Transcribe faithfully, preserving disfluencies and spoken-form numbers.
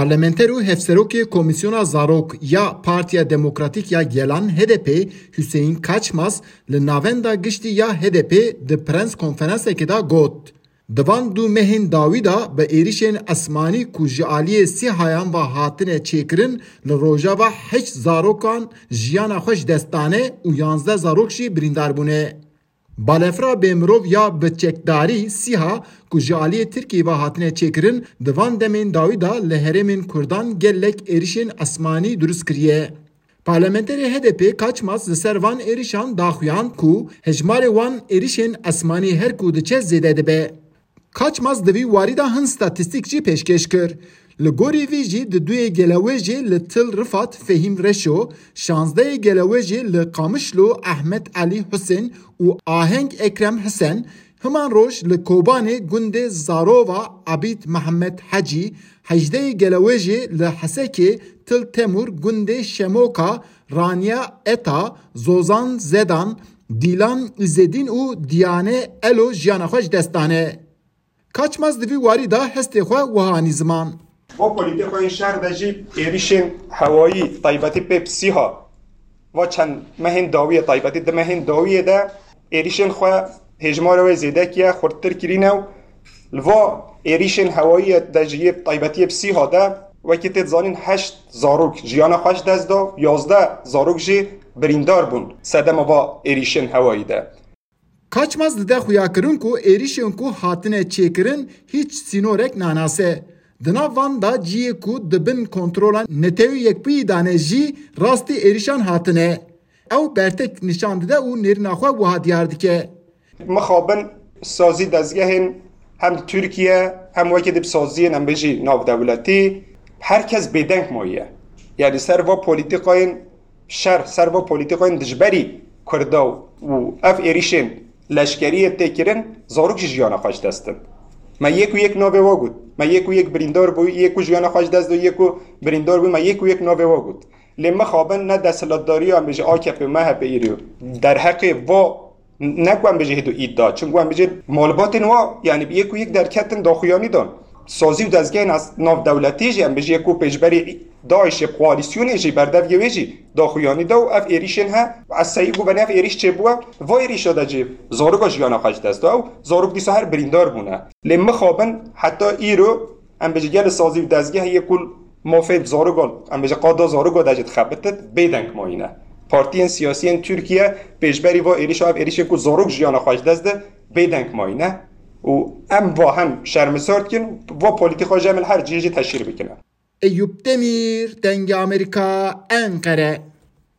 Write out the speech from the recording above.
Parlamenter û hevserokê Komîsyona Zarok ya Partiya Demokratîk ya Gelan, H D P, Hüseyin Kaçmaz, li Navenda Giştî ya H D P di prens konferansekê de got, di van du mehên dawî de bi êrişên esmanî ku ji aliyê SÎHAyan ve hatine çêkirin, li Rojava heşt zarokan jiyana xwe ji dest dane û yanzdeh zarok jî birîndar bûne. Balefira bêmirov ya bi çekdarî SÎHA ku ji aliyê Tirkiyê ve hatine çêkirin, di van demên dawî de li herêmên Kurdan gelek êrişên esmanî dirust kiriye. Parlamenterê H D P Kaçmaz li ser van êrişan daxuyand ku hejmarê wan êrişên esmanî her ku diçe zêde dibe. Kaçmaz di vî warî de hin statîstîk jî pêşkêş kir. Li gorî vî jî di duyê gelewêjê li Til Rifat Fehîm Reşo, şazdeyê gelewêjê li Qamişlo Ehmed Elî Husên û Aheng Ekrem Hisen, himan roj li Kobanê gundê Zarova Ebîd Mihemed Hecî, hejdeyê gelewêjê li Hesekê Til Temûr gundê Şemoka Raniya Eta, Zozan Zedan, Dîlan Îzedîn û Diyane Elo jiyana xwe ji dest dane. Kaçmaz di vî warî de hestê xwe wiha anî ziman. Va polîtîkayên şer de jî êrîşên hewayî taybetî pê bi SÎHA va çend mehên dawiyê, taybetî di mehên dawiyê de êrîşên xwe hêjmara wê zêde kiye, xurttir kirîne û li va êrîşên hewayî de jî yê taybetiyê bi SÎHA de wekî tê dizanîn heşt zarok jiyana xwe ji dest da, yazdeh zarok jî birîndar bûn sedema va êrîşên hewayî de. Kaçmaz dide xuyakirin ku êrîşên ku hatine çêkirin hîç sînorek nanase. Di nav van de cihê ku di bin kontrola Netewê Yekbûyî de ne jî rastî êrîşan hatine. Ew bertek nîşan dide û nêrîna xwe wiha diyar dike. Mixabin sazî dezgehên hem di Tirkiye hem wekî di bi saziyên em bêjî navdewletî her kes bêdeng mayiye. Yanî ser va polîtîkayên şer, ser va polîtîkayên dijberî Kurda û ev êrîşên leşkeriyê tê kirin, zarok jî jiyana xwe ji dest din. Me yek û yek navê wa got. Me yek û yek birîndar bû, yek û jiyana xwe ji dest da, yek û birîndar bû, me yek û yek navê wa got. Lê mixabin ne desthilatdariya em bêjî A K P, M H P îro derheqê va ne ku em bêjî hêdo îd da. Çimku em bêjî malbatên wa, yanî bi yek û yek derketin daxuyanî dan. Sazî û dezgehên ez-, navdewletî jî em bêjî yek ku pêşberî DAIŞê, koalîsyonê jî berdevgê wê jî daxuyanî da û ev êrîşên he, ez seyî ku venê ev êrîş çêbûye, va êrîşa de jî zaroka jiyana xwe ji dest da û zarok dîsa her birîndar bûne. Lê mixabin heta îro em bêjî gelê sazî û dezgeh yê ku mafê zaroka, em bêjî qada zaroka de jî dixebitit, bêdeng mayîne. Partiyên siyasiyên Tirkiye pêşberî va êrîşa, ev êrîşên ku zarok jiyana xwe ji dest de, bêdeng mayîne û em va hem şermizar dikin, va polîtîka jî em li her cihê jî teşhîr bikine. Eyûp Demîr, Dengê Amerîka, Enqere.